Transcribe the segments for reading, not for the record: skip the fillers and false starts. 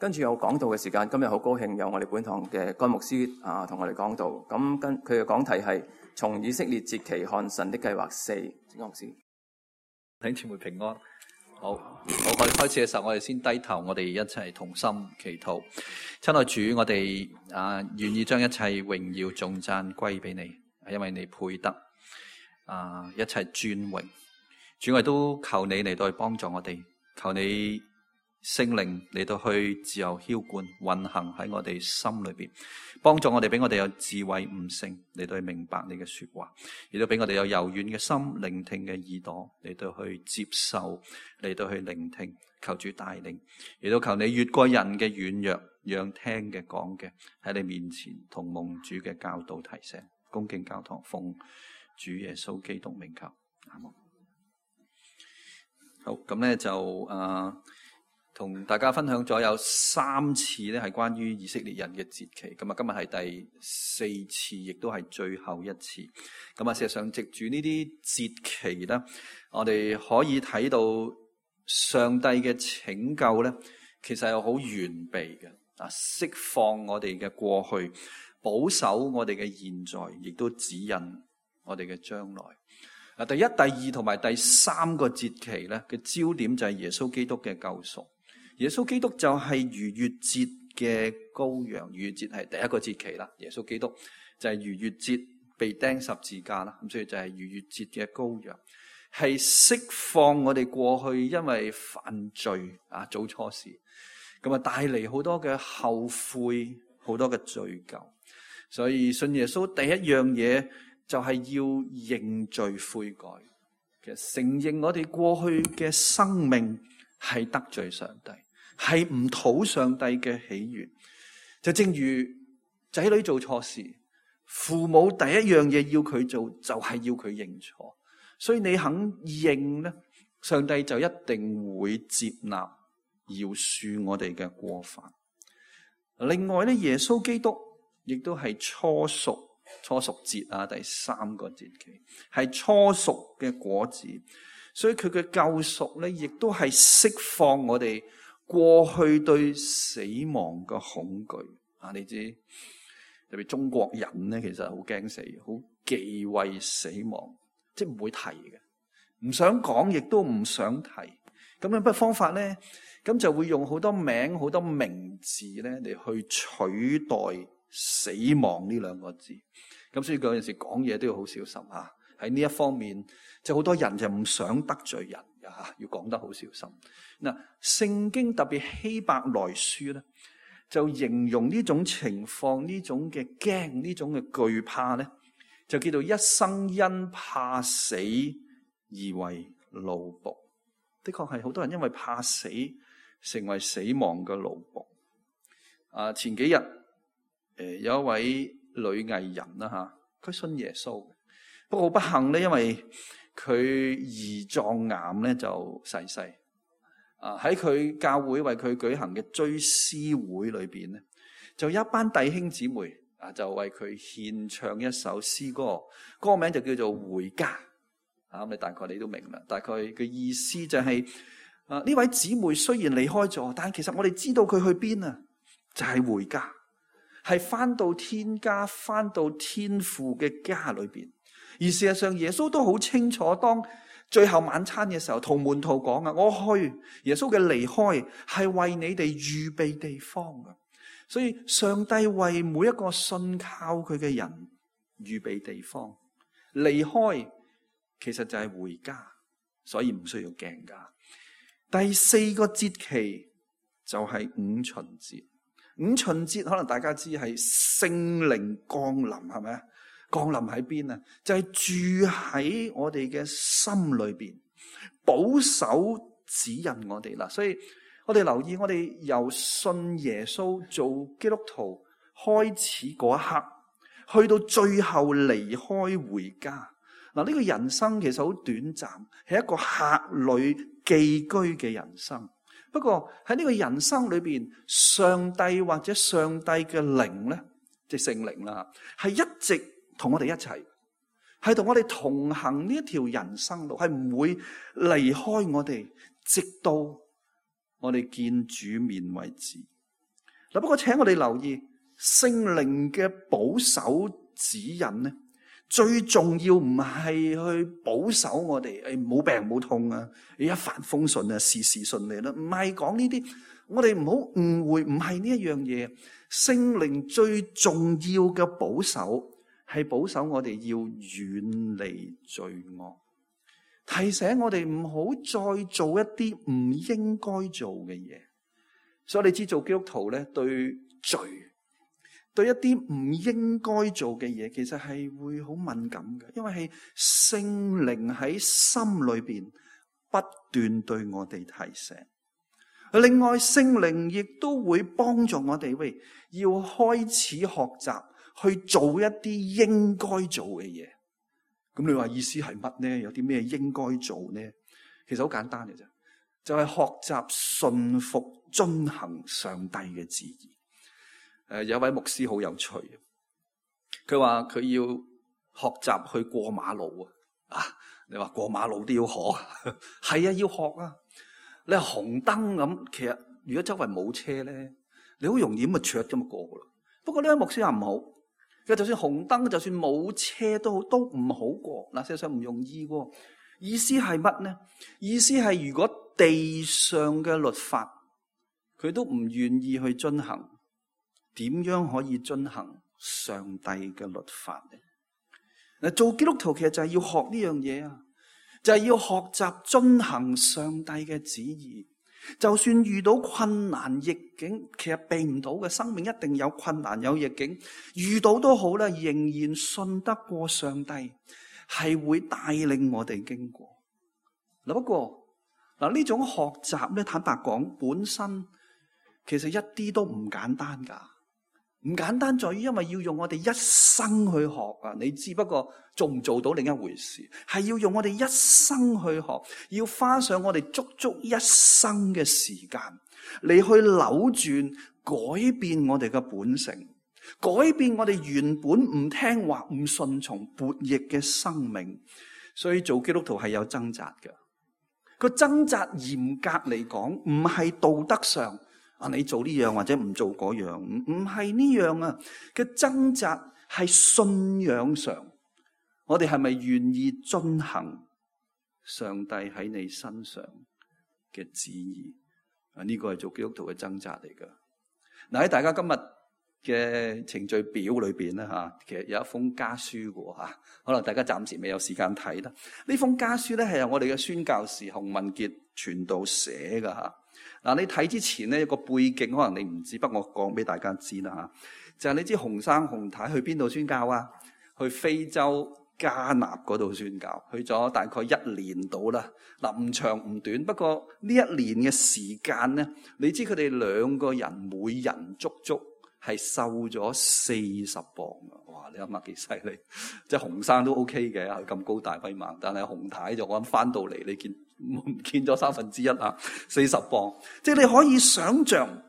跟住有講道嘅時間，今日好高興有我哋本堂嘅甘牧師同我哋講道。咁佢嘅講題係從以色列節期看神的計劃4。甘牧師，弟兄姊妹平安。好，我哋開始嘅時候，我哋先低頭，我哋一齊同心祈禱。親愛主，我哋願意將一切榮耀頌讚歸俾你，因為你配得一切尊榮。主，我哋都求你嚟到去幫助我哋，求你聖靈嚟到去自由澆灌運行喺我哋心裏邊，幫助我哋，俾我哋有智慧悟性嚟到去明白你嘅說話，亦都俾我哋有柔軟嘅心，聆聽嘅耳朵嚟到去接受，嚟到去聆聽。求主帶領，亦都求你越過人嘅軟弱，讓聽嘅講嘅喺你面前同蒙主嘅教導提醒，恭敬教堂奉主耶穌基督名求，阿門。好，咁咧就同大家分享咗有3次咧，係關於以色列人嘅節期。咁啊，今日係第4次，亦都係最後一次。咁啊，事實上藉住呢啲節期咧，我哋可以睇到上帝嘅拯救咧，其實係好完備嘅。釋放我哋嘅過去，保守我哋嘅現在，亦都指引我哋嘅將來。第一、第二同埋第3個節期咧嘅焦點就係耶穌基督嘅救贖。耶穌基督就係逾越節嘅羔羊，逾越節係第一個節期啦。耶穌基督就係逾越節被釘十字架啦，咁所以就係逾越節嘅羔羊，係釋放我哋過去因為犯罪做錯事，咁啊帶嚟好多嘅後悔，好多嘅罪疚。所以信耶穌第一樣嘢就係要認罪悔改，其實承認我哋過去嘅生命係得罪上帝，係唔討上帝嘅喜悅。就正如仔女做錯事，父母第一樣嘢要佢做就係要佢認錯，所以你肯認咧，上帝就一定會接納饒恕我哋嘅過犯。另外咧，耶穌基督亦都係初熟節第3個節期係初熟嘅果子。所以佢嘅救贖咧，亦都係釋放我哋過去對死亡嘅恐懼。你知特別中國人咧，其實好驚死，好忌諱死亡，即係唔會提嘅，唔想講，亦都唔想提。咁樣乜方法咧？咁就會用好多名、好多名字咧嚟去取代死亡呢2個字。咁所以嗰陣時講嘢都要好小心吓。喺呢一方面，就好多人就唔想得罪人嘅吓，要講得好小心。嗱，聖經特別希伯來書咧，就形容呢種情況，呢種嘅驚，呢種嘅懼怕咧，就叫做一生因怕死而為奴僕。的確係好多人因為怕死，成為死亡嘅奴僕。前幾日有一位女藝人啦吓，佢信耶穌。不過好不幸咧，因為佢胰臟癌咧就逝世。喺佢教會為佢舉行嘅追思會裏邊咧，就有一班弟兄姊妹就為佢獻唱一首詩歌，歌名就叫做《回家》。咁你大概你都明啦，大概嘅意思就係呢位姊妹雖然離開咗，但係其實我哋知道佢去邊啊，就係回家，係翻到天家，翻到天父嘅家裏邊。而事實上，耶穌都好清楚，當最後晚餐嘅時候，同門徒講啊，我去，耶穌嘅離開係為你哋預備地方嘅。所以上帝為每一個信靠佢嘅人預備地方，離開其實就係回家，所以唔需要驚㗎。第4個節期就係五旬節。五旬節可能大家知係聖靈降臨，係咪啊？降臨喺邊啊？就係住喺我哋嘅心裏邊，保守指引我哋啦。所以我哋留意，我哋由信耶穌做基督徒開始嗰一刻，去到最後離開回家。嗱，呢個人生其實好短暫，係一個客旅寄居嘅人生。不過喺呢個人生裏邊，上帝或者上帝嘅靈咧，即係聖靈啦，係一直同我哋一齊，係同我哋同行呢一條人生路，係唔會離開我哋，直到我哋見主面為止。嗱，不過請我哋留意聖靈嘅保守指引咧，最重要唔係去保守我哋，冇病冇痛啊，一帆風順啊，事事順利啦，唔係講呢啲，我哋唔好誤會，唔係呢一樣嘢。聖靈最重要嘅保守係保守我哋要遠離罪惡，提醒我哋唔好再做一啲唔應該做嘅嘢。所以你知做基督徒咧，對罪，對一啲唔應該做嘅嘢，其實係會好敏感嘅，因為係聖靈喺心裏邊不斷對我哋提醒。另外，聖靈亦都會幫助我哋，要開始學習去做一啲應該做嘅嘢。咁你話意思係乜呢？有啲咩應該做呢？其實好簡單嘅啫，就係學習順服遵行上帝嘅旨意。有位牧師好有趣，佢話佢要學習去過馬路啊！你話過馬路都要學，係啊，要學啊！你係紅燈咁，其實如果周圍冇車咧，你好容易咁就咁過噶啦。不過呢位牧師話唔好，佢就算紅燈，就算冇車都好，都唔好過。嗱，事實上唔容易喎。意思係乜呢？意思係如果地上嘅律法佢都唔願意去遵行，點樣可以遵行上帝嘅律法呢？嗱，做基督徒其實就係要學呢樣嘢啊！就係要學習遵行上帝嘅旨意，就算遇到困難逆境，其實避唔到嘅，生命一定有困難有逆境，遇到都好啦，仍然信得過上帝，係會帶領我哋經過。嗱，不過嗱，呢種學習咧，坦白講，本身其實一啲都唔簡單噶。唔簡單在於，因為要用我哋一生去學啊！你知，不過做唔做到另一回事，係要用我哋一生去學，要花上我哋足足一生嘅時間嚟去扭轉、改變我哋嘅本性，改變我哋原本唔聽話、唔順從、悖逆嘅生命。所以做基督徒係有掙扎嘅。個掙扎嚴格嚟講，唔係道德上。你做呢樣或者唔做嗰樣，唔係呢樣啊嘅掙扎，係信仰上，我哋係咪願意遵行上帝喺你身上嘅旨意？呢個係做基督徒嘅掙扎嚟噶。嗱，喺大家今日嘅程序表裏邊咧吓，其實有一封家書嘅吓，可能大家暫時未有時間睇啦。呢封家書咧係由我哋嘅宣教士洪文傑傳道寫噶吓。嗱，你睇之前咧，有個背景可能你唔知，不過我講俾大家知啦吓。就係你知洪生洪太去邊度宣教啊？去非洲加納嗰度宣教，去咗大概1年到啦。嗱，唔長唔短，不過呢1年嘅時間咧，你知佢哋2個人每人足足係瘦咗40磅啊！哇，你諗下幾犀利？即係洪生都 OK 嘅，係咁高大威猛，但係洪太就我諗翻到嚟，你唔見咗1/3啊，40磅。即係你可以想象，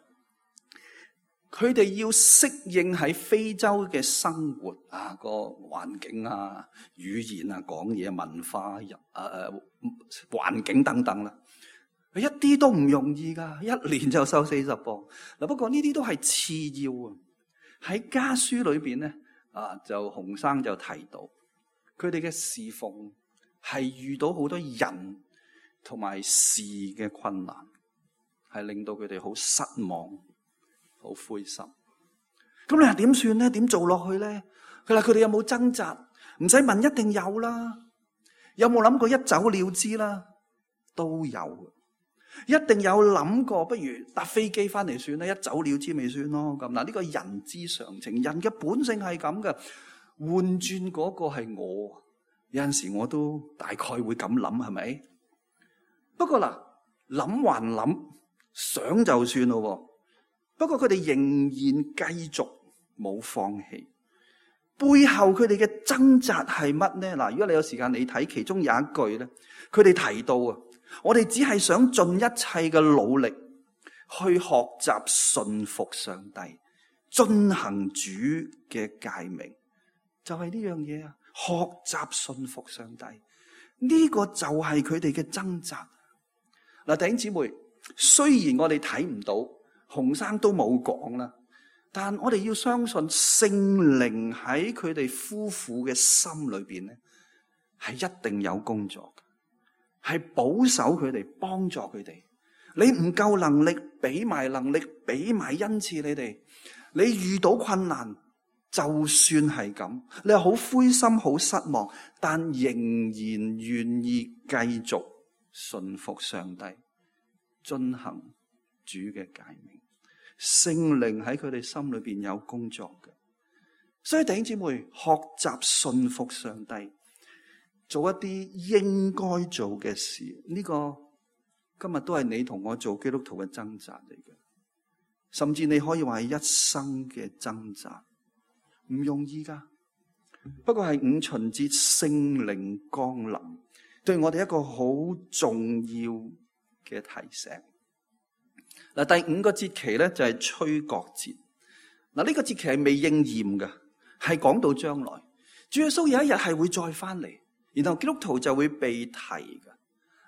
佢哋要適應喺非洲嘅生活啊，個環境啊、語言啊、講嘢、文化、環境等等啦，一啲都唔容易噶。1年就瘦40磅。嗱，不過呢啲都係次要啊。喺家書裏邊咧，就洪生就提到，佢哋嘅侍奉係遇到好多人同埋事嘅困難，係令到佢哋好失望、好灰心。咁你話點算咧？點做落去咧？佢話佢哋有冇掙扎？唔使問，一定有啦。有冇諗過一走了之啦？都有，一定有諗過，不如搭飛機翻嚟算啦，一走了之咪算咯。咁嗱，呢個人之常情，人嘅本性係咁嘅。換轉嗰個係我，有陣時我都大概會咁諗，係咪？不過嗱，諗還諗，想就算咯。不過佢哋仍然繼續冇放棄，背後佢哋嘅掙扎係乜呢？嗱，如果你有時間你睇其中有一句咧，佢哋提到啊，我哋只係想盡一切嘅努力去學習順服上帝，遵行主嘅誡命，就係呢樣嘢啊！學習順服上帝，呢個就係佢哋嘅掙扎。嗱，弟兄姊妹，雖然我哋睇唔到，洪生都冇講啦，但我哋要相信聖靈喺佢哋夫婦嘅心裏邊咧，係一定有工作嘅，係保守佢哋，幫助佢哋。你唔夠能力，俾埋能力，俾埋恩賜你哋。你遇到困難，就算係咁，你係好灰心、好失望，但仍然願意繼續順服上帝，遵行主嘅誡命。聖靈喺佢哋心裏邊有工作嘅，所以弟兄姊妹學習順服上帝，做一啲應該做嘅事。呢個今日都係你同我做基督徒嘅掙扎嚟嘅，甚至你可以話係一生嘅掙扎，唔容易噶。不過係五旬節聖靈降臨，對我哋一個好重要嘅提醒。嗱，第五個節期咧就係吹角節。嗱，呢個節期係未應驗嘅，係講到將來，主耶穌有一日係會再翻嚟，然後基督徒就會被提嘅。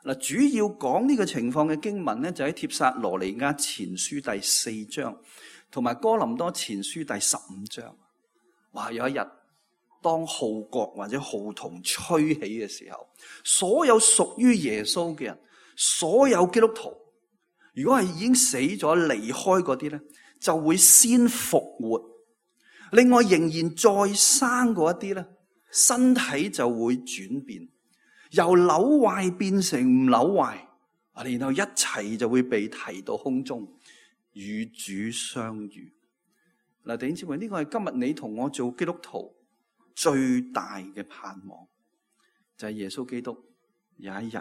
嗱，主要講呢個情況嘅經文咧，就喺帖撒羅尼迦前書第4章，同埋哥林多前書第15章。哇！有一日，當號角或者號筒吹起嘅時候，所有屬於耶穌嘅人，所有基督徒，如果係已經死咗離開嗰啲咧，就會先復活。另外仍然再生嗰一啲咧，身體就會轉變，由朽壞變成唔朽壞，然後一齊就會被提到空中與主相遇。嗱，弟兄姊妹，呢個係今日你同我做基督徒最大嘅盼望，就係耶穌基督有一日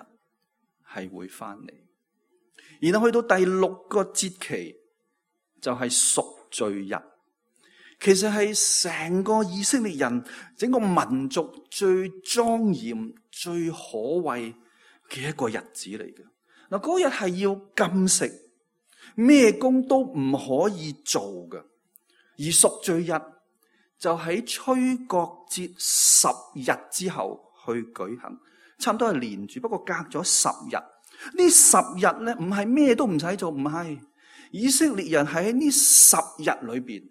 係會翻嚟。然後去到第6個節期，就係贖罪日。其實係成個以色列人整個民族最莊嚴、最可畏嘅一個日子嚟嘅。嗱，嗰日係要禁食，咩工都唔可以做嘅。而贖罪日就喺吹角節10日之後去舉行，差唔多係連住，不過隔咗10日。呢10日咧，唔係咩都唔使做，唔係，以色列人喺呢10日裏邊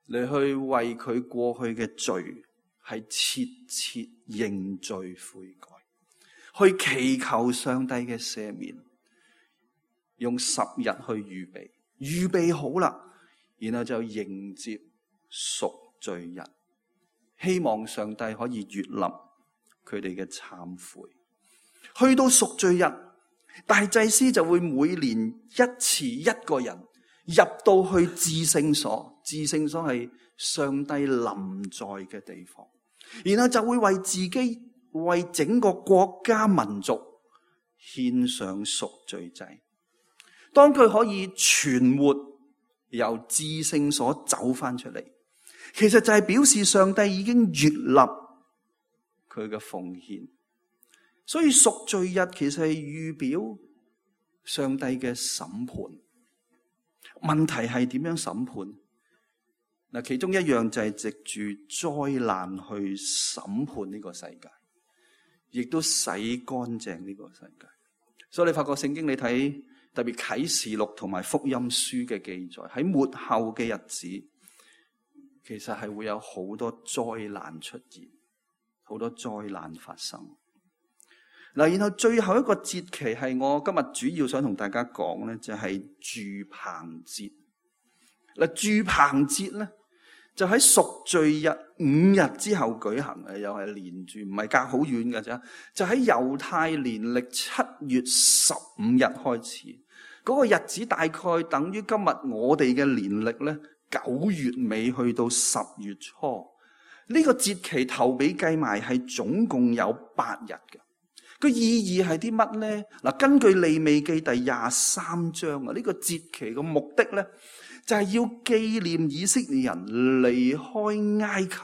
嚟去為佢過去嘅罪係切切認罪悔改，去祈求上帝嘅赦免，用10日去預備好啦，然後就迎接贖罪日，希望上帝可以悅納佢哋嘅懺悔。去到贖罪日，大祭司就會每年一次一個人入到去至聖所，至聖所係上帝臨在嘅地方，然後就會為自己、為整個國家民族獻上贖罪祭。當佢可以存活由至聖所走翻出嚟，其實就係表示上帝已經悅納佢嘅奉獻。所以贖罪日其實係預表上帝嘅審判。問題係點樣審判？嗱，其中一樣就係藉住災難去審判呢個世界，亦都洗乾淨呢個世界。所以你發覺聖經你睇特別啟示錄同埋福音書嘅記載，喺末後嘅日子，其實係會有好多災難出現，好多災難發生。嗱，然後最後一個節期係我今日主要想同大家講咧，就係住棚節。嗱，住棚節咧就喺贖罪日5日之後舉行嘅，又係連住，唔係隔好遠嘅啫。就喺猶太年曆7月15日開始，嗰個日子大概等於今日我哋嘅年曆咧9月尾去到10月初。呢個節期頭尾計埋係總共有8日嘅。個意義係啲乜咧？嗱，根據利未記第23章啊，呢個節期嘅目的咧，就係要紀念以色列人離開埃及，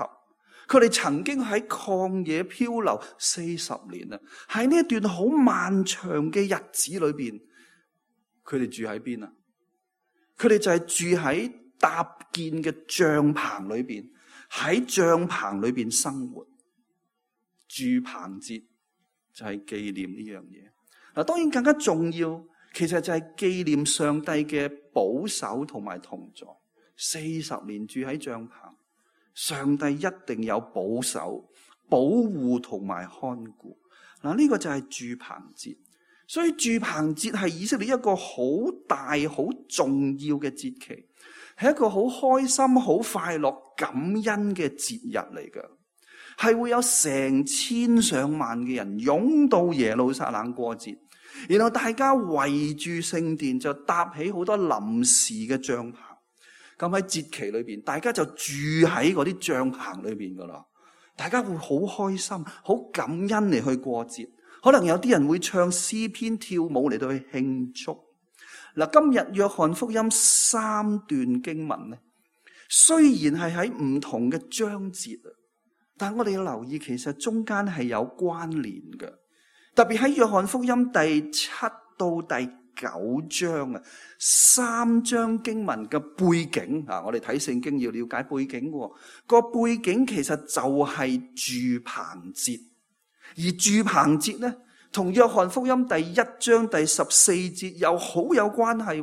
佢哋曾經喺曠野漂流40年啊，喺呢一段好漫長嘅日子裏邊，佢哋住喺邊啊？佢哋就係住喺搭建嘅帳篷裏邊，喺帳篷裏邊生活。住棚節就係紀念呢樣嘢。嗱，當然更加重要，其實就係紀念上帝嘅保守同埋同在。40年住喺帳篷，上帝一定有保守、保護同埋看顧。嗱，呢個就係住棚節。所以住棚節係以色列一個好大、好重要嘅節期，係一個好開心、好快樂、感恩嘅節日嚟㗎。係會有成千上萬嘅人湧到耶路撒冷過節，然後大家圍住聖殿就搭起好多臨時嘅帳篷。咁喺節期裏邊，大家就住喺嗰啲帳篷裏邊噶啦。大家會好開心、好感恩嚟去過節。可能有啲人會唱詩篇、跳舞嚟到去慶祝。嗱，今日約翰福音3段經文咧，雖然係喺唔同嘅章節啊，但我哋要留意，其實中間係有關聯嘅。特別喺約翰福音第7到第9章啊，3章經文嘅背景啊，我哋睇聖經要了解背景嘅。個背景其實就係住棚節，而住棚節咧，同約翰福音第1章第14節又好有關係。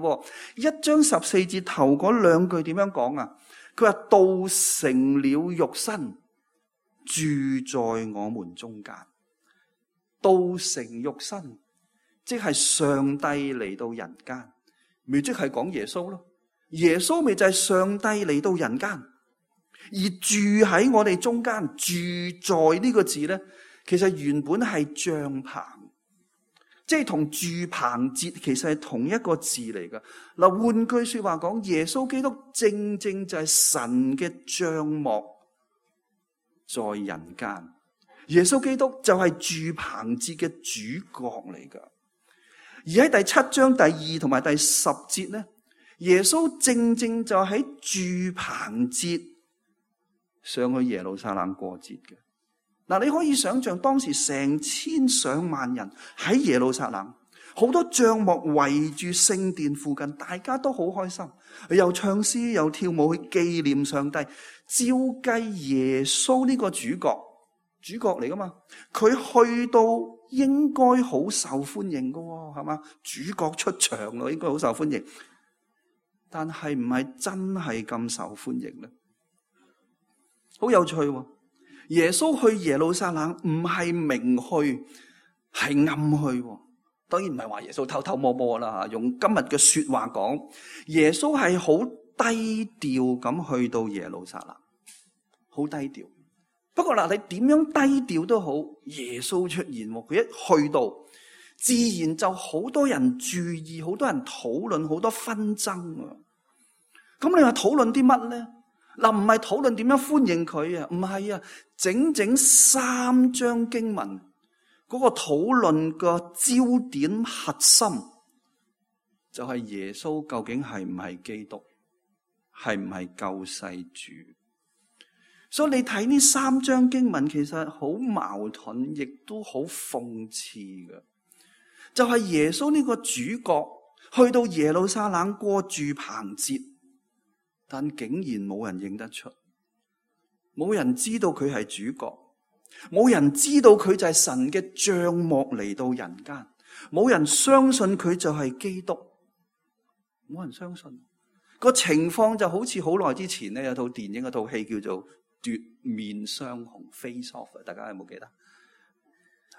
1章14節頭嗰兩句點樣講啊？佢話道成了肉身，住在我們中間。道成肉身，即係上帝嚟到人間，咪即係講耶穌咯。耶穌咪就係上帝嚟到人間，而住喺我哋中間。住在呢個字咧，其實原本係帳棚，即係同住棚節其實係同一個字嚟噶。嗱，換句說話講，耶穌基督正正就係神嘅帳幕在人間。耶穌基督就係住棚節嘅主角嚟噶。而喺第7章第2同埋第10節咧，耶穌正正就喺住棚節上去耶路撒冷過節嘅。嗱，你可以想象當時成千上萬人喺耶路撒冷，好多帳幕圍住聖殿附近，大家都好開心，又唱詩又跳舞去紀念上帝。照計耶穌呢個主角嚟噶嘛，佢去到應該好受歡迎噶，係嘛？主角出場咯，應該好受歡迎。但係唔係真係咁受歡迎咧？好有趣喎！耶穌去耶路撒冷唔係明去，係暗去。當然唔係話耶穌偷偷摸摸啦，用今日嘅說話講，耶穌係好低調咁去到耶路撒冷，好低調。不過嗱，你點樣低調都好，耶穌出現，佢一去到，自然就好多人注意，好多人討論，好多紛爭啊！咁你話討論啲乜咧？嗱，唔係討論點樣歡迎佢啊，唔係啊，整整3章經文嗰個討論個焦點核心就係耶穌究竟係唔係基督，係唔係救世主？所以你睇呢3章經文，其實好矛盾，亦都好諷刺嘅。就係耶穌呢個主角去到耶路撒冷過住棚節，但竟然冇人認得出，冇人知道佢係主角，冇人知道佢就係神嘅帳幕嚟到人間，冇人相信佢就係基督，冇人相信。個情況就好似好耐之前咧，有套電影，有套戲叫做奪面雙雄 Face Off， 大家有冇記得？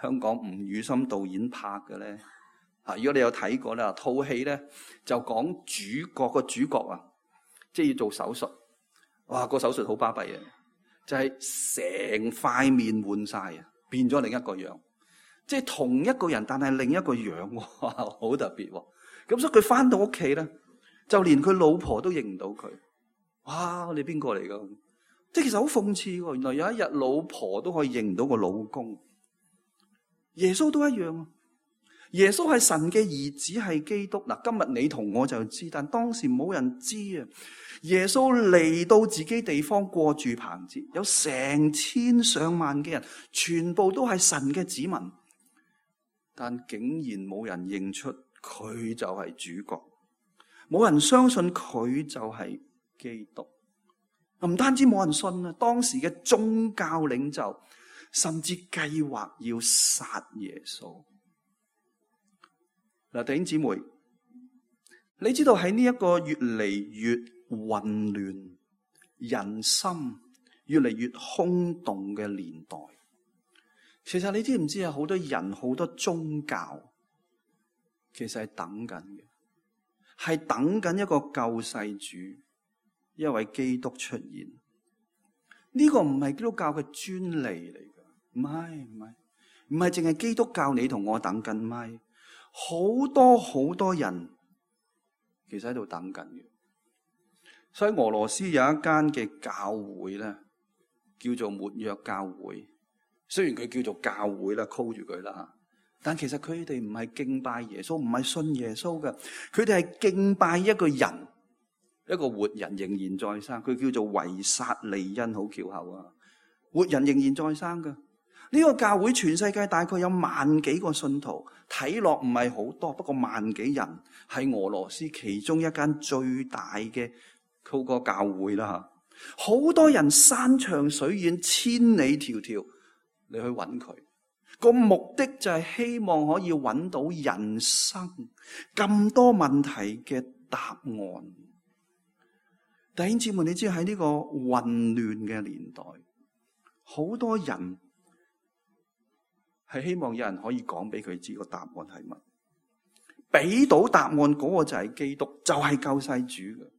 香港吳宇森導演拍嘅咧，如果你有睇過咧，套戲咧就講個主角啊，即係要做手術，哇，個手術好巴閉嘅，就係成塊面換晒啊，變咗另一個樣，即係同一個人但係另一個樣，哇，好特別。咁所以佢翻到屋企咧，就連佢老婆都認唔到佢。哇，你邊個嚟噶？即係其實好諷刺喎，原來有一日老婆都可以認唔到個老公。耶穌都一樣，耶穌係神嘅兒子，係基督。嗱，今日你同我就知，但當時冇人知啊。耶穌嚟到自己地方過住棚節，有成千上萬嘅人，全部都係神嘅子民，但竟然冇人認出佢就係主角，冇人相信佢就係基督。唔單止冇人信啊，當時嘅宗教領袖甚至計劃要殺耶穌。嗱，弟兄姊妹，你知道喺呢一個越嚟越混亂、人心越嚟越空洞嘅年代。其實你知唔知啊？好多人、好多宗教，其實係等緊嘅，係等緊一個救世主，一位基督出現。呢個唔係基督教嘅專利嚟㗎，唔係淨係基督教你同我等緊，唔係好多人其實喺度等緊嘅。所以俄羅斯有一間嘅教會咧，叫做末約教會。雖然佢叫做教會啦，call住佢啦，但其實佢哋唔係敬拜耶穌，唔係信耶穌嘅，佢哋係敬拜一個人，一個活人仍然在生。佢叫做維薩利恩，好翹口啊！活人仍然在生嘅呢個教會，全世界大概有萬幾個信徒，睇落唔係好多，不過萬幾人，係俄羅斯其中一間最大嘅嗰個教會啦。好多人山長水遠，千里迢迢。你去揾佢個目的就係希望可以揾到人生咁多問題嘅答案。弟兄姊妹，你知喺呢個混亂嘅年代，好多人係希望有人可以講俾佢知個答案係乜，俾到答案嗰個就係基督，就係救世主嘅。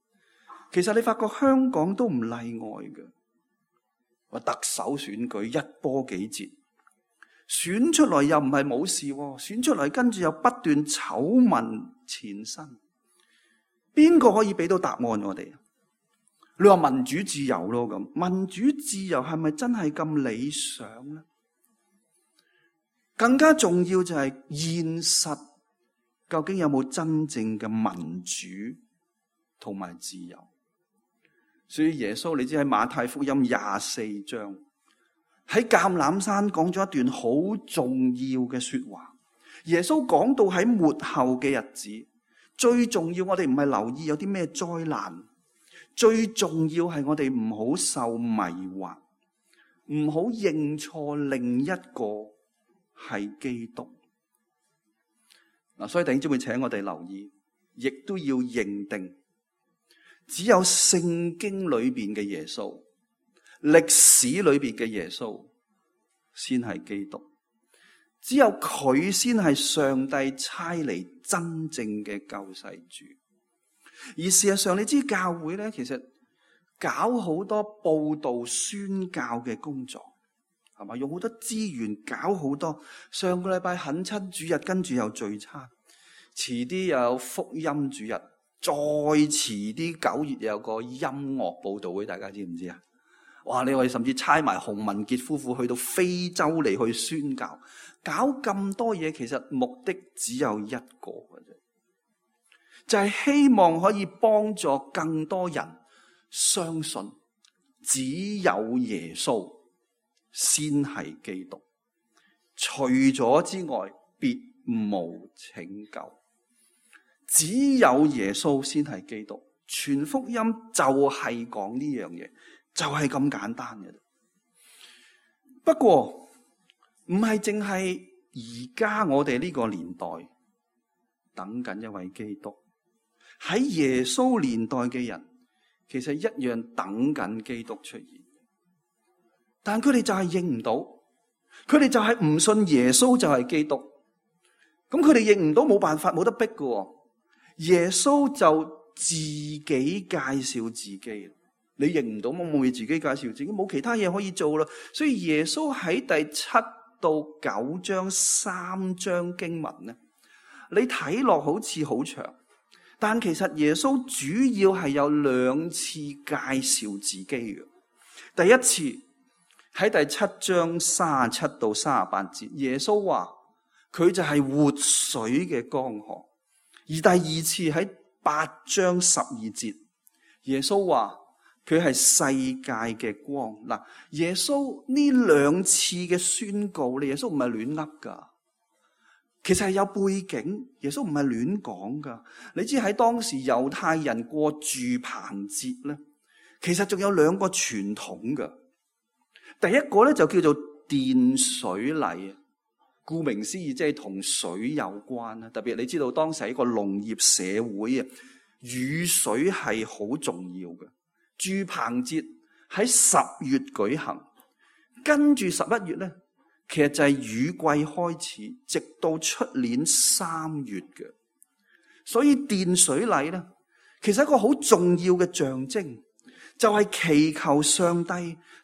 其實你發覺香港都唔例外嘅。話特首選舉一波幾折，選出來又唔係冇事，選出來跟住又不斷醜聞纏身，邊個可以俾到答案我哋？你話民主自由咯，咁民主自由係咪真係咁理想呢？更加重要就係現實，究竟有冇真正嘅民主同埋自由？所以耶穌，你知喺馬太福音24章喺橄欖山講咗一段好重要嘅說話。耶穌講到喺末後嘅日子，最重要我哋唔係留意有啲咩災難，最重要係我哋唔好受迷惑，唔好認錯另一個係基督。嗱，所以弟兄姊妹，請我哋留意，亦都要認定。只有聖經裏邊嘅耶穌，歷史裏邊嘅耶穌先係基督，只有佢先係上帝差嚟真正嘅救世主。而事實上，你知教會咧，其實搞好多佈道宣教嘅工作，係嘛？用好多資源搞好多。上個禮拜懇親主日，跟住又聚餐，遲啲又有福音主日。再遲啲9月有個音樂佈道會，大家知唔知啊？哇！你話甚至差埋洪文傑夫婦去到非洲嚟去宣教，搞咁多嘢，其實目的只有一個嘅啫，就係希望可以幫助更多人相信，只有耶穌先係基督，除咗之外，別無拯救。只有耶穌先係基督，全福音就係講呢樣嘢，就係咁簡單嘅。不過唔係淨係而家我哋呢個年代等緊一位基督，喺耶穌年代嘅人其實一樣等緊基督出現，但佢哋就係認唔到，佢哋就係唔信耶穌就係基督，咁佢哋認唔到，冇辦法，冇得逼㗎。耶穌就自己介紹自己，你認唔到，我冇嘢自己介紹自己，冇其他嘢可以做啦。所以耶穌喺第7到9章3章經文咧，你睇落好似好長，但其實耶穌主要係有2次介紹自己嘅。第一次喺第7章37到38節，耶穌話佢就係活水嘅江河。而第二次喺8章12節，耶穌話佢係世界嘅光。嗱，耶穌呢2次嘅宣告，耶穌唔係亂噏噶，其實係有背景。耶穌唔係亂講噶。你知喺當時猶太人過住棚節咧，其實仲有2個傳統噶。第一個咧就叫做奠水禮。顧名思義，即係同水有關啦。特別你知道當時係一個農業社會啊，雨水係好重要嘅。住棚節喺10月舉行，跟住11月咧，其實就係雨季開始，直到出年3月嘅。所以奠水禮咧，其實一個好重要嘅象徵，就係祈求上帝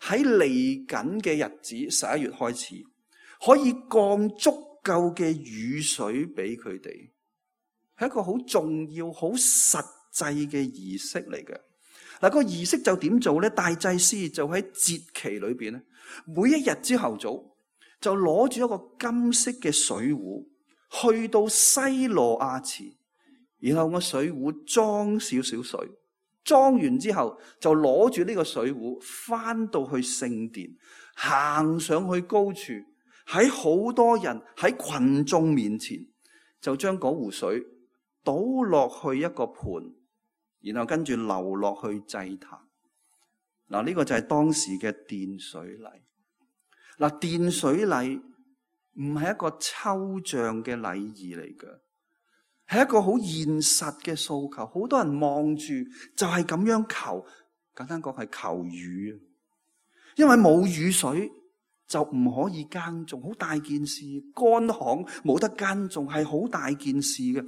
喺嚟緊嘅日子11月開始，可以降足夠嘅雨水俾佢哋，係一個好重要、好實際嘅儀式嚟嘅。嗱，個儀式就點做咧？大祭司就喺節期裏邊咧，每一日朝頭早就攞住一個金色嘅水壺，去到西羅亞池，然後個水壺裝少少水，裝完之後就攞住呢個水壺翻到去聖殿，行上去高處，喺好多人喺群眾面前，就將嗰壺水倒落去一個盤，然後跟住流落去祭壇。嗱，呢個就係當時嘅奠水禮。嗱，奠水禮唔係一個抽象嘅禮儀嚟嘅，係一個好現實嘅訴求。好多人望住就係咁樣求，簡單講係求雨。因為冇雨水就唔可以耕種，好大件事。乾旱冇得耕種係好大件事嘅。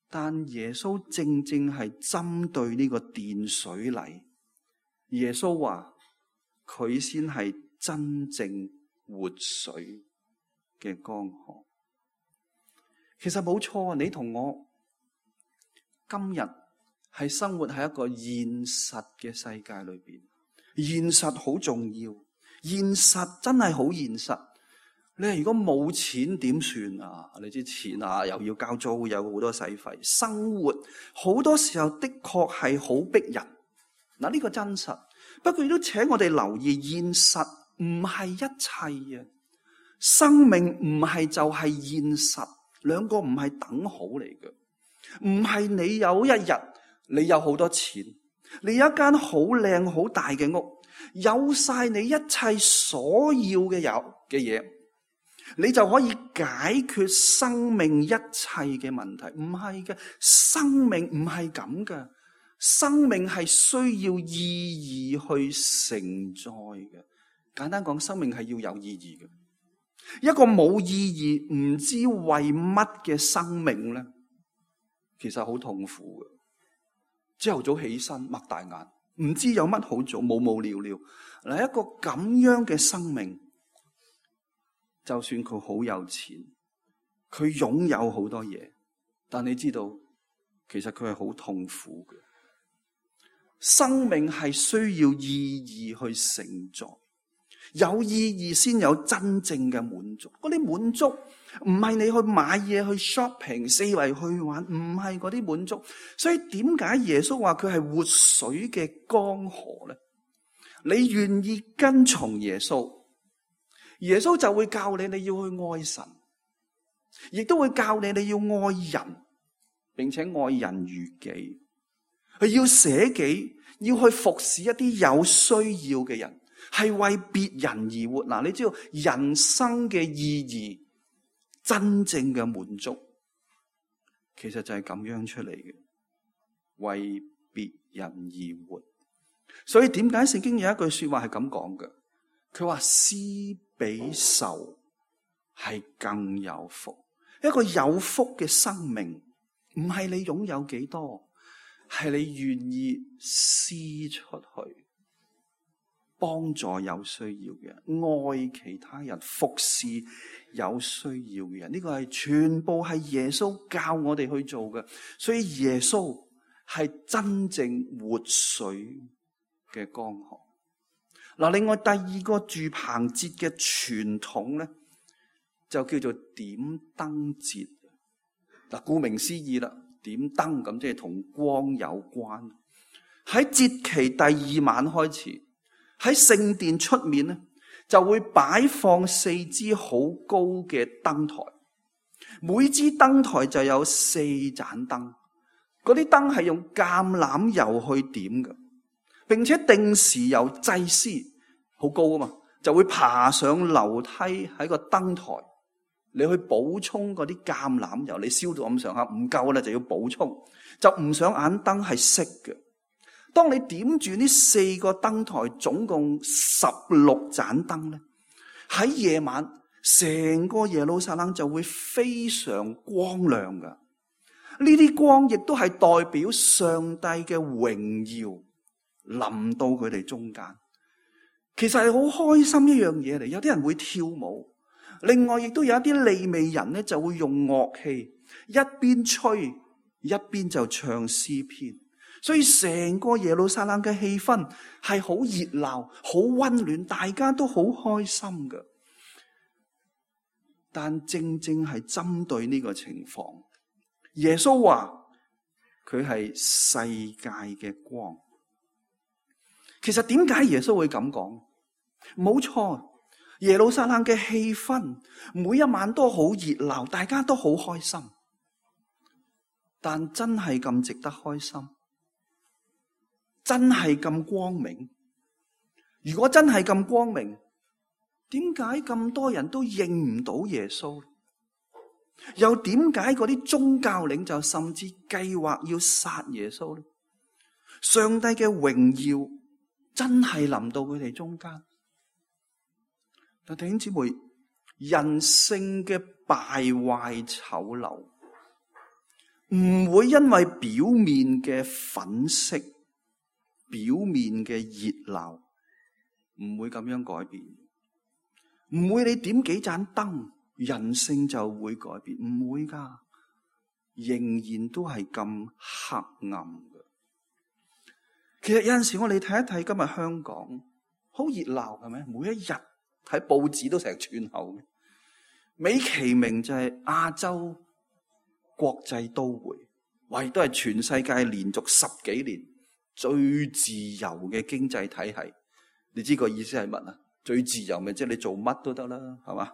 但耶穌正正係針對呢個奠水禮。耶穌話佢先係真正活水嘅江河。其實冇錯啊，你同我今日係生活喺一個現實嘅世界裏邊，現實好重要，現實真係好現實。你如果冇錢點算啊？你知錢啊，又要交租，有好多使費，生活好多時候的確係好逼人。嗱，呢個真實。不過亦都請我哋留意，現實唔係一切啊！生命唔係就係現實，兩個唔係等好嚟嘅。唔係你有一日你有好多錢，你有一間好靚好大嘅屋，有晒你一切所要嘅嘢，你就可以解決生命一切嘅問題。唔係嘅，生命唔係咁嘅。生命係需要意義去承載嘅。簡單講，生命係要有意義嘅。一個冇意義、唔知為乜嘅生命咧，其實好痛苦嘅。朝頭早起身擘大眼，唔知有乜好做，無聊聊。嗱，一個咁樣嘅生命，就算佢好有錢，佢擁有好多嘢，但你知道，其實佢係好痛苦嘅。生命係需要意義去承載，有意義先有真正嘅滿足。嗰啲滿足唔係你去買嘢去 shopping 四圍去玩，唔係嗰啲滿足。所以點解耶穌話佢係活水嘅江河咧？你願意跟從耶穌，耶穌就會教你要去愛神，亦都會教你要愛人，並且愛人如己。佢要捨己，要去服侍一啲有需要嘅人，係為別人而活。嗱，你知道人生嘅意義，真正嘅滿足，其實就係咁樣出嚟嘅，為別人而活。所以點解聖經有一句說話係咁講嘅？佢話施比受係更有福。一個有福嘅生命，唔係你擁有幾多，係你願意施出去，幫助有需要嘅人，愛其他人，服侍有需要嘅人。呢個係全部係耶穌教我哋去做嘅。所以耶穌係真正活水嘅江河。嗱，另外第二個住棚節嘅傳統咧，就叫做點燈節。嗱，顧名思義啦。點燈咁即係同光有關。喺節期第2晚開始，喺聖殿出面咧就會擺放4支好高嘅燈台，每支燈台就有4盞燈。嗰啲燈係用橄欖油去點嘅，並且定時由祭司好高啊嘛，就會爬上樓梯喺個燈台你去補充嗰啲橄欖油，你燒到咁上下唔夠啦，就要補充，就唔想眼燈係熄嘅。當你點住呢4個燈台，總共16盞燈咧，喺夜晚成個耶路撒冷就會非常光亮噶。呢啲光亦都係代表上帝嘅榮耀臨到佢哋中間。其實係好開心一樣嘢嚟，有啲人會跳舞，另外亦都有一啲利未人咧就會用樂器，一邊吹一邊就唱詩篇，所以成個耶路撒冷嘅氣氛係好熱鬧、好溫暖，大家都好開心㗎。但正正係針對呢個情況，耶穌話佢係世界嘅光。其實點解耶穌會咁講？冇錯，耶路撒冷嘅氣氛每一晚都好熱鬧，大家都好開心。但真係咁值得開心？真係咁光明？如果真係咁光明，點解咁多人都認唔到耶穌？又點解嗰啲宗教領袖甚至計劃要殺耶穌呢？上帝嘅榮耀真係臨到佢哋中間。但弟兄姊妹，人性嘅敗壞醜陋唔會因為表面嘅粉飾、表面嘅熱鬧，唔會咁樣改變。唔會你點幾盞燈，人性就會改變，唔會噶，仍然都係咁黑暗嘅。其實有陣時我哋睇一睇今日香港，好熱鬧係咪？每一日睇報紙都成串口，美其名就係亞洲國際都會，亦都係全世界連續10幾年最自由嘅經濟體系。你知個意思係乜啊？最自由咪即係你做乜都得啦，係嘛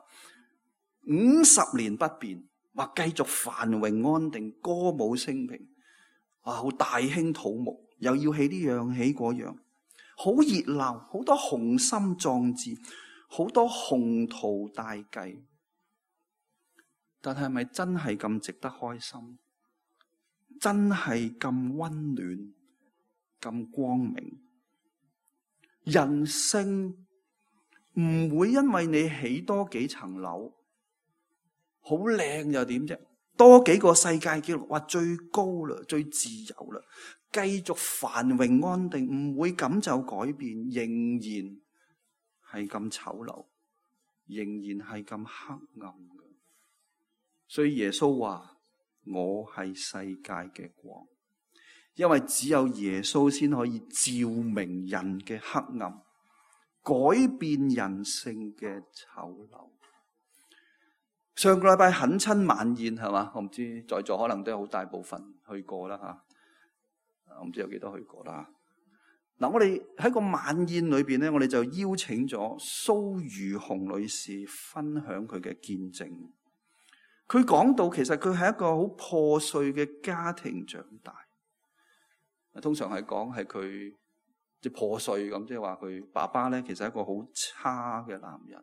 ？50年不變，話繼續繁榮安定，歌舞升平，好大興土木，又要起呢樣起嗰樣，好熱鬧，好多雄心壯志，好多宏圖大計。但係咪真係咁值得開心？真係咁溫暖、咁光明？人性唔會因為你起多幾層樓，好靚又點啫？多幾個世界紀錄，話最高啦，最自由啦，繼續繁榮安定，唔會咁就改變，仍然係咁醜陋，仍然係咁黑暗嘅。所以耶穌話：我係世界嘅光，因為只有耶穌先可以照明人嘅黑暗，改變人性嘅醜陋。上個禮拜懇親晚宴係嘛？我唔知在座可能都有好大部分去過啦吓，我唔知有幾多去過啦。嗱，我哋喺個晚宴裏邊咧，我哋就邀請咗蘇如紅女士分享佢嘅見證。佢講到其實佢係一個好破碎嘅家庭長大，通常係講係佢即係破碎咁，即係話佢爸爸咧其實係一個好差嘅男人，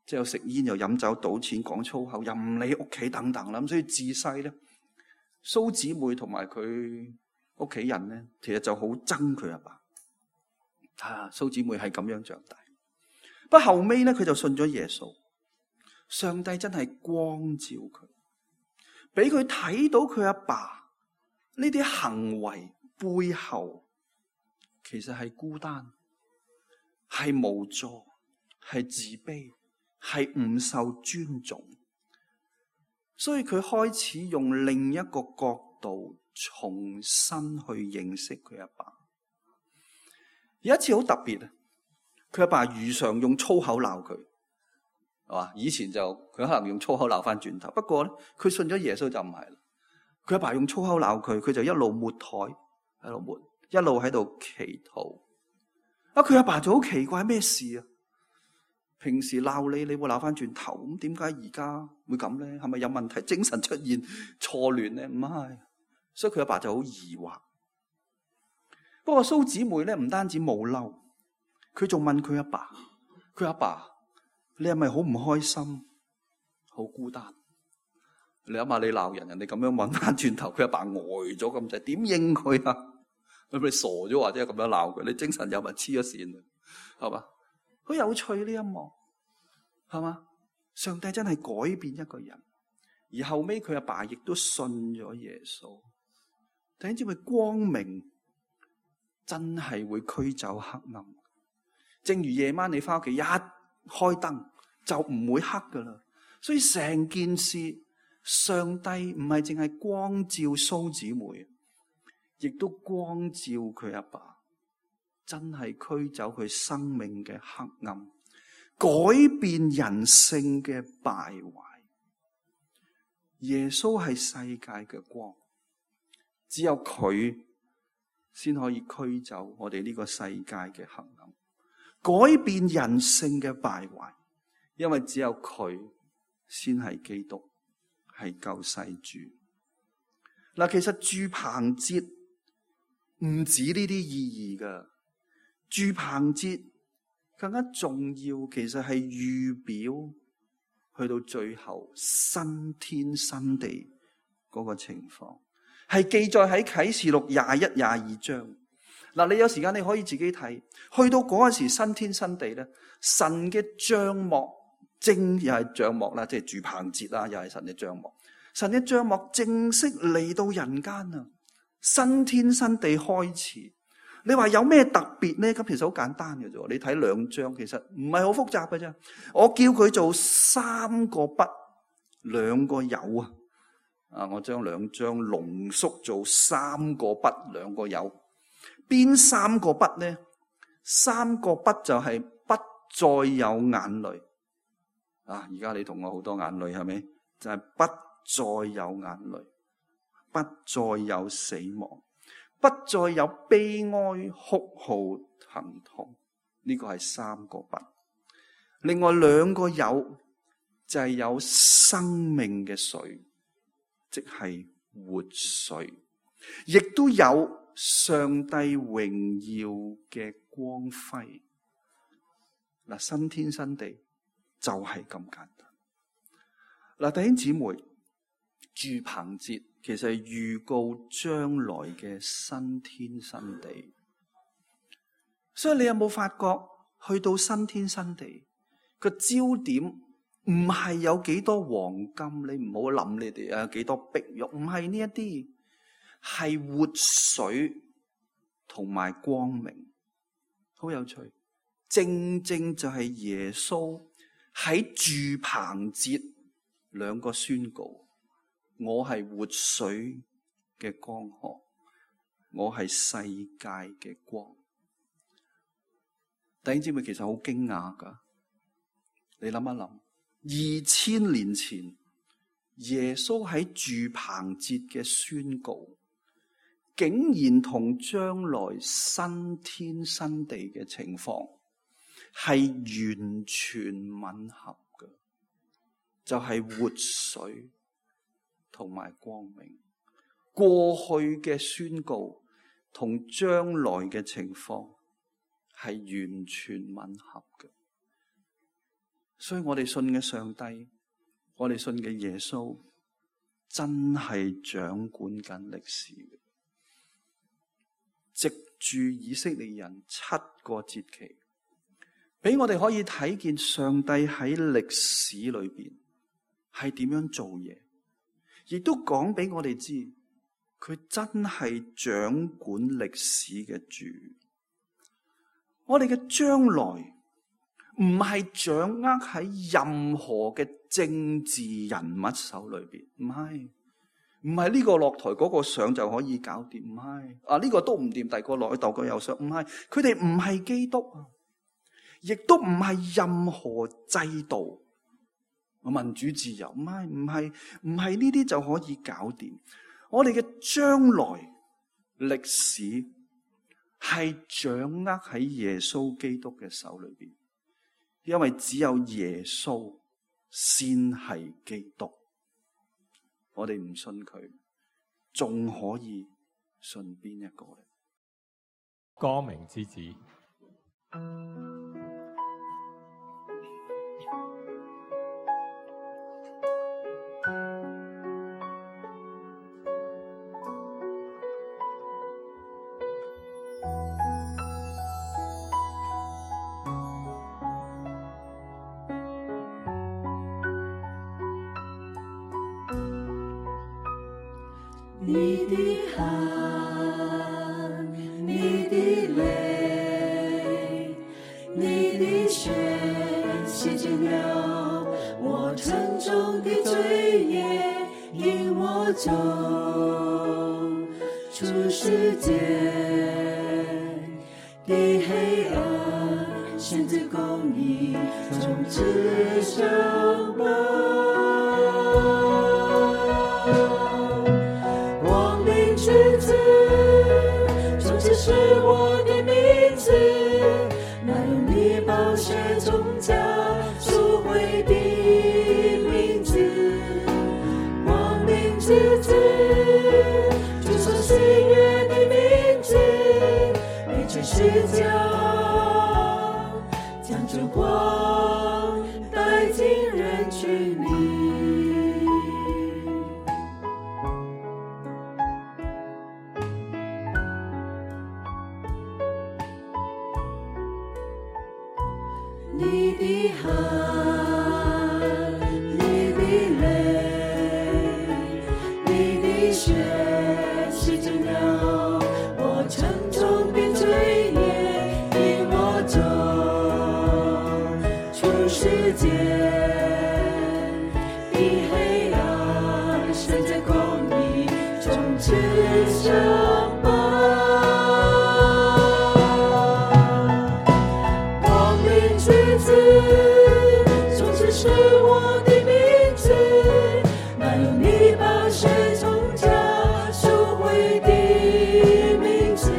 即係又食煙又飲酒賭錢講粗口又唔理屋企等等啦。咁所以自細咧，蘇姊妹同埋佢屋企人咧，其實就好憎佢阿爸。蘇姊妹係咁樣長大，不過後尾咧佢就信咗耶穌。上帝真係光照佢，俾佢睇到佢阿爸呢啲行為背後，其實係孤單，係無助，係自卑，係唔受尊重。所以佢開始用另一個角度重新去認識佢阿爸。有一次好特別啊，佢阿爸如常用粗口鬧佢。以前就佢可能用粗口鬧翻轉頭，不過咧佢信咗耶穌就唔係啦。佢阿爸用粗口鬧佢，佢就一路抹台，喺度抹，一路喺度祈禱。佢阿爸就好奇怪，咩事啊？平時鬧你會鬧翻轉頭，咁點解而家會咁咧？係咪有問題？精神出現錯亂咧？唔係，所以佢阿爸就好疑惑。不過蘇姊妹咧唔單止冇嬲，佢仲問佢阿爸，佢阿爸，你係咪好唔開心？好好孤單。你諗下，你鬧人，人哋咁樣揾翻轉頭，佢阿爸呆咗咁滯，點應佢啊？咁你傻咗或者咁樣鬧佢，你精神有咪黐咗線啊？係嘛？好有趣呢一幕，係嘛？上帝真係改變一個人，而後尾佢阿爸亦都信咗耶穌。弟兄姊妹，光明真係會驅走黑暗。正如夜晚你翻屋企一開燈就唔會黑噶啦。所以成件事，上帝唔係淨係光照蘇姊妹，亦都光照佢阿爸，真係驅走佢生命嘅黑暗，改變人性嘅敗壞。耶穌係世界嘅光，只有佢先可以驅走我哋呢個世界嘅黑暗，改變人性嘅敗壞。因為只有佢先係基督，係救世主。嗱，其實住棚節唔止呢啲意義噶，住棚節更加重要，其實係預表去到最後新天新地嗰個情況，係記載喺啟示錄21、22章。嗱，你有時間你可以自己睇，去到嗰陣時新天新地咧，神嘅帳幕又係帳幕啦，即係住棚節啦，又係神嘅帳幕。神嘅帳幕正式嚟到人間啊！新天新地開始。你話有咩特別咧？咁其實好簡單嘅啫。你睇2章，其實唔係好複雜嘅啫。我叫佢做3個不2個有啊！我將2章濃縮做3個不2個有。邊3個不咧？3個不就係不再有眼淚啊！而家你同我好多眼淚係咪？就係不再有眼淚，不再有死亡，不再有悲哀、哭號、疼痛。呢個係3個不。另外2個有就係有生命嘅水，即係活水，亦都有上帝榮耀嘅光輝。嗱，新天新地就係咁簡單。嗱，弟兄姊妹，住棚節其實係預告將來嘅新天新地。所以你有冇發覺去到新天新地個焦點唔係有幾多黃金，你唔好諗你哋有幾多碧玉，唔係呢一啲，係活水同埋光明。好有趣，正正就係耶穌喺住棚節2個宣告：我係活水嘅江河，我係世界嘅光。弟兄姊妹，其實好驚訝噶，你諗一諗，2000年前耶穌喺住棚節嘅宣告，竟然同將來新天新地嘅情況係完全吻合嘅，就係活水同埋光明。過去嘅宣告同將來嘅情況係完全吻合嘅。所以我哋信嘅上帝，我哋信嘅耶穌，真係掌管緊歷史嘅。藉住以色列人7個節期，俾我哋可以睇見上帝喺歷史裏邊係點樣做嘢，亦都講俾我哋知，佢真係掌管歷史嘅主。我哋嘅將來唔係掌握喺任何嘅政治人物手裏邊，唔係呢個落台嗰個上就可以搞掂，唔係啊，呢個都唔掂，第二個落去，第二個又上，唔係，佢哋唔係基督啊，亦都唔係任何制度、民主自由，唔係呢啲就可以搞掂。我哋嘅將來歷史係掌握喺耶穌基督嘅手裏邊，因為只有耶穌先係基督。我哋唔信佢，仲可以信邊一個咧？光明之子。你的汗，你的泪，你的血洗净了我沉重的罪孽，引我走出世界的黑暗，选择公义，从此上榜。光明之子，从此是我的名字，那用你宝血从家赎回的名字。光明之子，主所喜悦的名字，为这世界将烛光带进人群里。你的汗，你的泪，你的血洗净了我沉重的罪孽，引我走出世界的黑暗，选择公义，从此上榜。从此是我的名字，那用你宝血从家赎回的名字。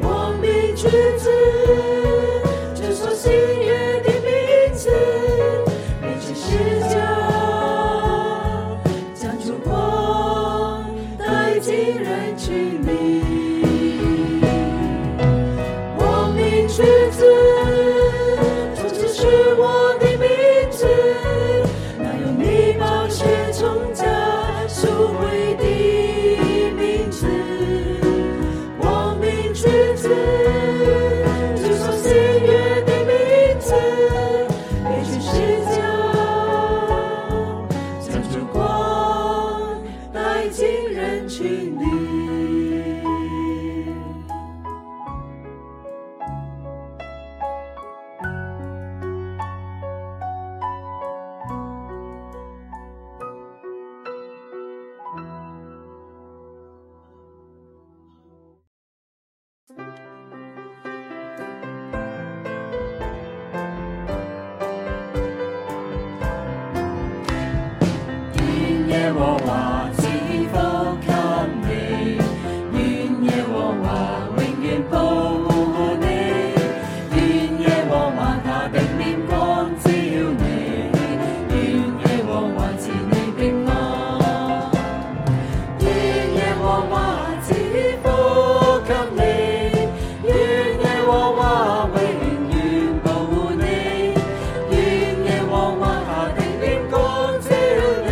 光明之子，主所喜悦的名字，为这世界将烛光带进人群里。光明之子，是我的名字，那用你宝血从家赎回的名字。光明之子，主所喜悦的名字，为全世界将烛光带进人群里。耶和華賜福給你，願耶和華永遠保護你，願耶和華他的臉光照你，願耶和華賜你平安，願耶和華賜福給你，願耶和華永遠保護你，願耶和華他的臉光照你。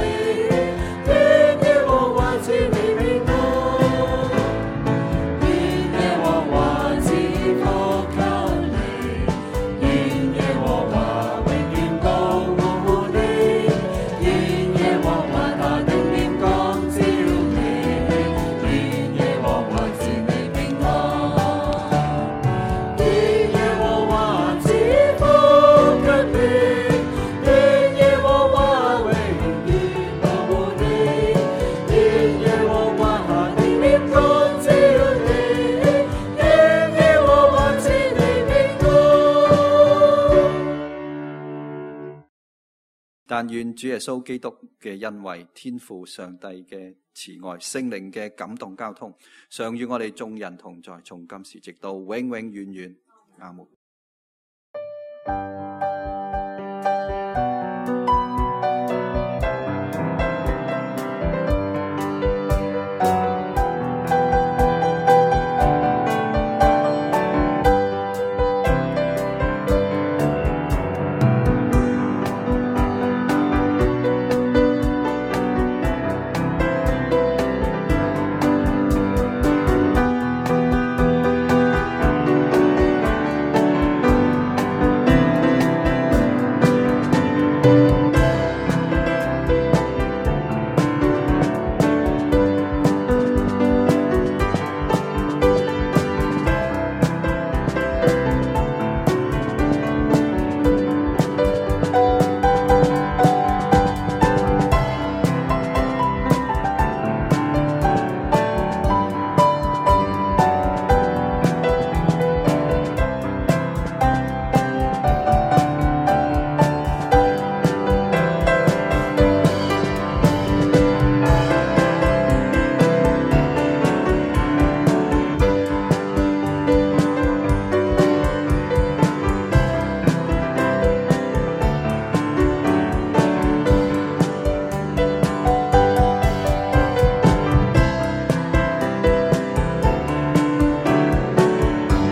但願主耶穌基督嘅恩惠、天父上帝嘅慈愛、聖靈嘅感動交通，常與我哋眾人同在，從今時直到永永遠遠。阿門。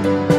主。